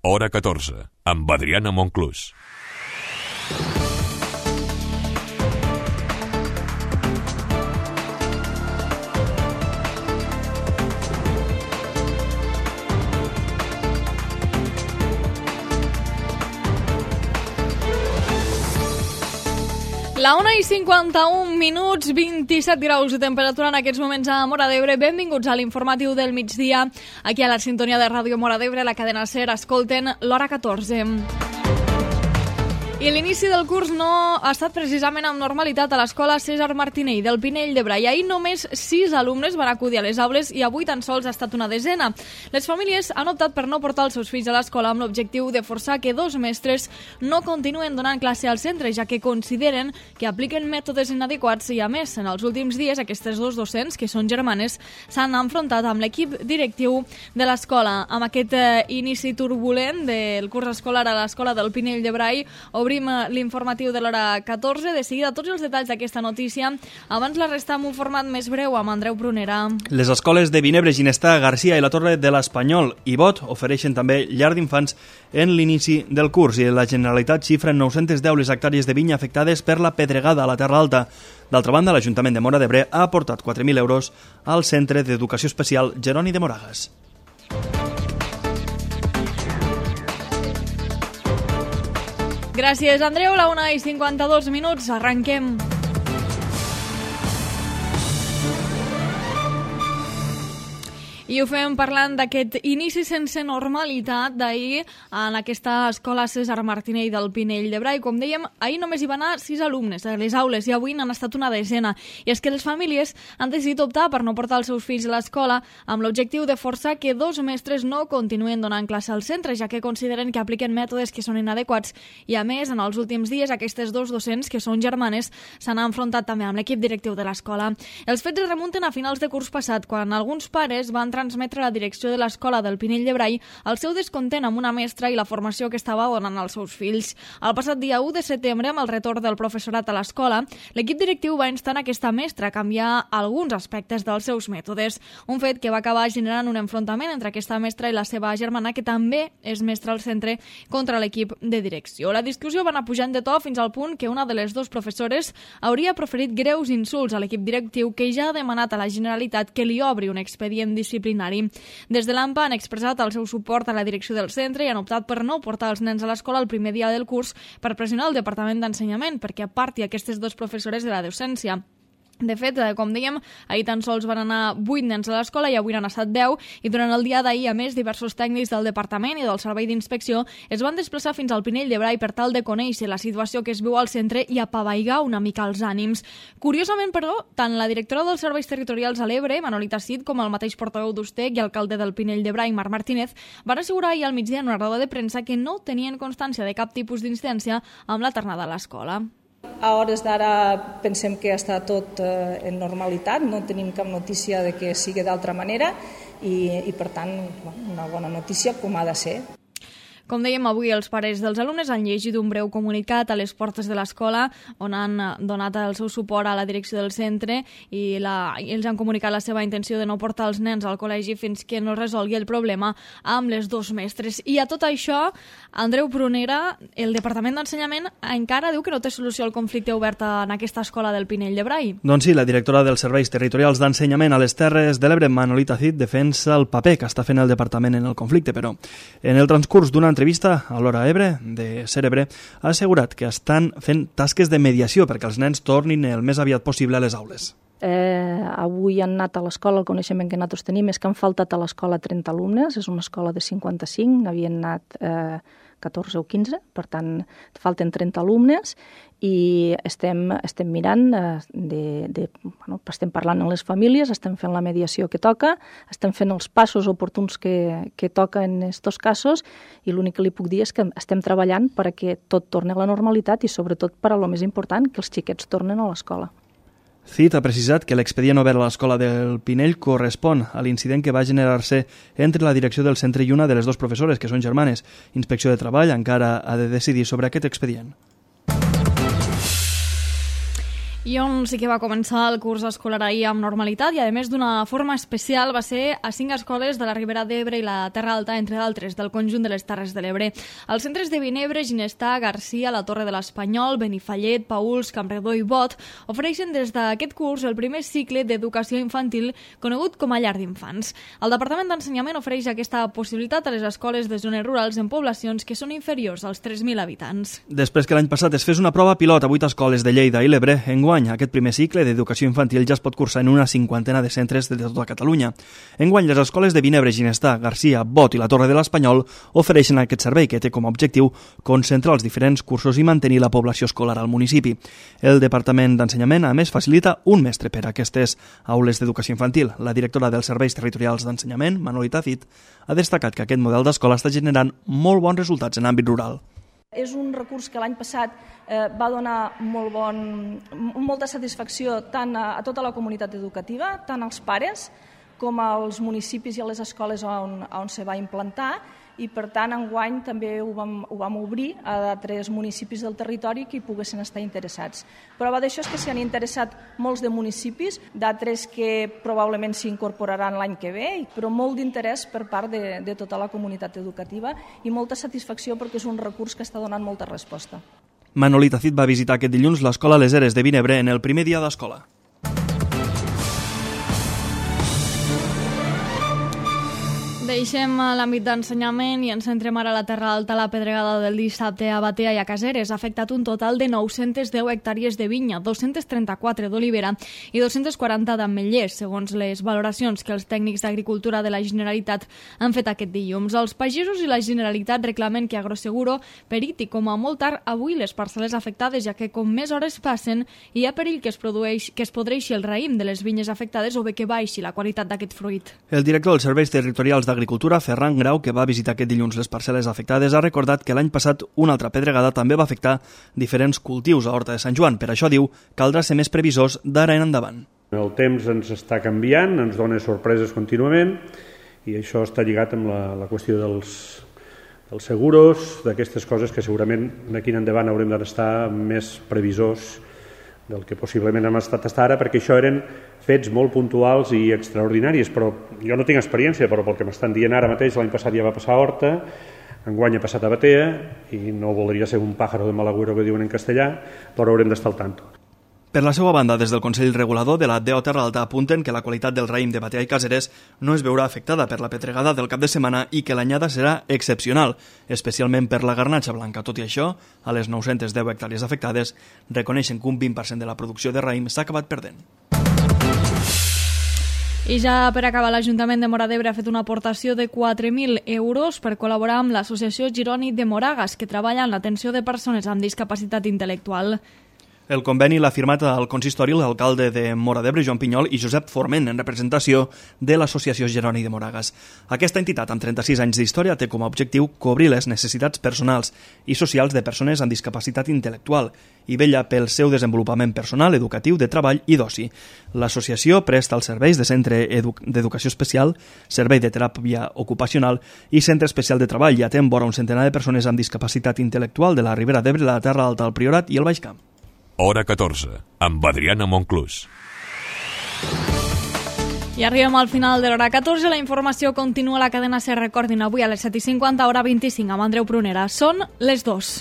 Hora 14, amb Adriana Monclús. La 1:51, 27 graus de temperatura en aquests moments a Móra d'Ebre. Benvinguts a l'informatiu del migdia. Aquí a la sintonia de Ràdio Móra d'Ebre, la cadena SER, escolten l'Hora 14. I l'inici del curs no ha estat precisament amb normalitat a l'escola Cèsar Martinell del Pinell de Brai. Ahir només 6 alumnes van acudir a les aules i avui tan sols ha estat una desena. Les famílies han optat per no portar els seus fills a l'escola amb l'objectiu de forçar que 2 mestres no continuen donant classe al centre, ja que consideren que apliquen mètodes inadequats i, a més, en els últims dies aquestes 2 docents, que són germanes, s'han enfrontat amb l'equip directiu de l'escola. Amb aquest inici turbulent del curs escolar a l'escola del Pinell de Brai, obrim l'informatiu de l'Hora 14. De seguida, tots els detalls d'aquesta notícia. Abans la resta amb un format més breu amb Andreu Prunera. Les escoles de Vinebre, Ginestà, Garcia i la Torre de l'Espanyol i Bot ofereixen també llar d'infants en l'inici del curs i la Generalitat xifra en 910 les hectàrees de vinya afectades per la pedregada a la Terra Alta. D'altra banda, l'Ajuntament de Móra d'Ebre ha aportat 4.000 euros al Centre d'Educació Especial Jeroni de Moragas. Gràcies, Andreu. La 1:52, arrenquem. I ho fem parlant d'aquest inici sense normalitat d'ahir en aquesta escola Cèsar Martinell del Pinell de Brai. Com dèiem, ahir només hi van anar 6 alumnes a les aules i avui n'han estat una desena. I és que les famílies han decidit optar per no portar els seus fills a l'escola amb l'objectiu de forçar que 2 mestres no continuen donant classe al centre, ja que consideren que apliquen mètodes que són inadequats. I a més, en els últims dies, aquestes 2 docents, que són germanes, s'han enfrontat també amb l'equip directiu de l'escola. Els fets es remunten a finals de curs passat, quan alguns pares van transmetre a la direcció de l'escola del Pinell de Brai el seu descontent amb una mestra i la formació que estava donant als seus fills. El passat dia 1 de setembre, amb el retorn del professorat a l'escola, l'equip directiu va instar aquesta mestra a canviar alguns aspectes dels seus mètodes. Un fet que va acabar generant un enfrontament entre aquesta mestra i la seva germana, que també és mestra al centre, contra l'equip de direcció. La discussió va anar pujant de to fins al punt que una de les 2 professores hauria proferit greus insults a l'equip directiu, que ja ha demanat a la Generalitat que li obri un expedient disciplinari. Des de l'AMPA han expressat el seu suport a la direcció del centre i han optat per no portar els nens a l'escola el primer dia del curs per pressionar el Departament d'Ensenyament perquè aparti aquestes 2 professores de la docència. De fet, com dèiem, ahir tan sols van anar 8 nens a l'escola i avui n'han estat 10, i durant el dia d'ahir, a més, diversos tècnics del Departament i del Servei d'Inspecció es van desplaçar fins al Pinell de Brai per tal de conèixer la situació que es viu al centre i apavaigar una mica els ànims. Curiosament, però, tant la directora dels Serveis Territorials a l'Ebre, Manolita Cid, com el mateix portaveu d'Ustec i alcalde del Pinell de Brai, Marc Martínez, van assegurar ahir al migdia en una roda de premsa que no tenien constància de cap tipus d'incidència amb la tornada a l'escola. A hores d'ara pensem que està tot en normalitat, no tenim cap notícia de que sigui d'altra manera i per tant, una bona notícia com ha de ser. Com dèiem, avui els pares dels alumnes han llegit un breu comunicat a les portes de l'escola on han donat el seu suport a la direcció del centre i ells han comunicat la seva intenció de no portar els nens al col·legi fins que no resolgui el problema amb les 2 mestres. I a tot això, Andreu Prunera, el Departament d'Ensenyament encara diu que no té solució al conflicte obert en aquesta escola del Pinell de Brai. Doncs sí, la directora dels Serveis Territorials d'Ensenyament a les Terres de l'Ebre, Manolita Cid, defensa el paper que està fent el Departament en el conflicte, però en el transcurs d'una entrevista a l'Hora Ebre de Ser Ebre ha assegurat que estan fent tasques de mediació perquè els nens tornin el més aviat possible a les aules. Avui han anat a l'escola, el coneixement que nosaltres tenim és que han faltat a l'escola 30 alumnes, és una escola de 55, n'havien anat 14 o 15, per tant falten 30 alumnes i estem mirant, estem parlant amb les famílies, estem fent la mediació que toca, estem fent els passos oportuns que toca en aquests casos i l'únic que li puc dir és que estem treballant perquè tot torni a la normalitat i sobretot per a lo més important, que els xiquets tornen a l'escola. Cid ha precisat que l'expedient obert a l'escola del Pinell correspon a l'incident que va generar-se entre la direcció del centre i una de les 2 professores, que són germanes. Inspecció de Treball encara ha de decidir sobre aquest expedient. I on sí que va començar el curs escolar ahir amb normalitat i, a més, d'una forma especial, va ser a 5 escoles de la Ribera d'Ebre i la Terra Alta, entre d'altres, del conjunt de les Terres de l'Ebre. Els centres de Vinebre, Ginestà, Garcia, la Torre de l'Espanyol, Benifallet, Pauls, Campredó i Bot ofereixen des d'aquest curs el primer cicle d'educació infantil conegut com a llar d'infants. El Departament d'Ensenyament ofereix aquesta possibilitat a les escoles de zones rurals en poblacions que són inferiors als 3.000 habitants. Després que l'any passat es fes una prova pilot a 8 escoles de Lleida i l'Ebre, enguany aquest primer cicle d'educació infantil ja es pot cursar en una 50ena de centres de tota Catalunya. Enguany, les escoles de Vinebre, Ginestà, Garcia, Bot i la Torre de l'Espanyol ofereixen aquest servei que té com a objectiu concentrar els diferents cursos i mantenir la població escolar al municipi. El Departament d'Ensenyament, a més, facilita un mestre per a aquestes aules d'educació infantil. La directora dels Serveis Territorials d'Ensenyament, Manolita Cid, ha destacat que aquest model d'escola està generant molt bons resultats en àmbit rural. És un recurs que l'any passat va donar molta satisfacció tant a tota la comunitat educativa, tant als pares com als municipis i a les escoles on se va implantar, i per tant enguany també ho vam obrir a d'altres municipis del territori que hi poguessin estar interessats. Prova d'això és que s'hi han interessat molts de municipis, d'altres que probablement s'hi incorporaran l'any que ve, però molt d'interès per part de tota la comunitat educativa i molta satisfacció perquè és un recurs que està donant molta resposta. Manolita Cid va visitar aquest dilluns l'escola Les Eres de Vinebre en el primer dia d'escola. Deixem l'àmbit d'ensenyament i ens centrem ara a la Terra Alta. La pedregada del dissabte a Batea i a Caseres ha afectat un total de 910 hectàrees de vinya, 234 d'olivera i 240 d'ametllers, segons les valoracions que els tècnics d'Agricultura de la Generalitat han fet aquest dilluns. Els pagesos i la Generalitat reclamen que Agroseguro periti com a molt tard avui les parcel·les afectades, ja que com més hores passen hi ha perill que es podreixi el raïm de les vinyes afectades o bé que baixi la qualitat d'aquest fruit. El director dels Serveis Territorials d'Agricultura, Ferran Grau, que va visitar aquest dilluns les parcel·les afectades, ha recordat que l'any passat una altra pedregada també va afectar diferents cultius a Horta de Sant Joan. Per això, diu, caldrà ser més previsors d'ara en endavant. El temps ens està canviant, ens dona sorpreses contínuament i això està lligat amb la qüestió dels seguros, d'aquestes coses que segurament d'aquí en endavant haurem d'estar més previsors del que possiblement hem estat fins ara, perquè això eren fets molt puntuals i extraordinaris, però jo no tinc experiència, però pel que m'estan dient ara mateix, l'any passat ja va passar a Horta, enguany ha passat a Batea, i no voldria ser un pájaro de mal agüero que diuen en castellà, però haurem d'estar al tanto. Per la seva banda, des del Consell Regulador de la DO Terra Alta apunten que la qualitat del raïm de Batea i Caseres no es veurà afectada per la pedregada del cap de setmana i que l'anyada serà excepcional, especialment per la garnatxa blanca. Tot i això, a les 910 hectàrees afectades, reconeixen que un 20% de la producció de raïm s'ha acabat perdent. I ja per acabar, l'Ajuntament de Móra d'Ebre ha fet una aportació de 4.000 euros per col·laborar amb l'Associació Gironi de Moragas, que treballa en l'atenció de persones amb discapacitat intel·lectual. El conveni l'ha firmat al consistori l'alcalde de Móra d'Ebre, Joan Pinyol, i Josep Forment, en representació de l'Associació Gironi de Moragas. Aquesta entitat, amb 36 anys d'història, té com a objectiu cobrir les necessitats personals i socials de persones amb discapacitat intel·lectual i vetlla pel seu desenvolupament personal, educatiu, de treball i d'oci. L'associació presta els serveis de centre d'educació especial, servei de teràpia ocupacional i centre especial de treball i atén vora un centenar de persones amb discapacitat intel·lectual de la Ribera d'Ebre, la Terra Alta, el Priorat i el Baix Camp. Hora 14, amb Adriana Monclús. I arribem al final de l'hora 14. La informació continua a la cadena SER. Recordin, avui a les 7:50, hora 25, amb Andreu Prunera. Són les 2.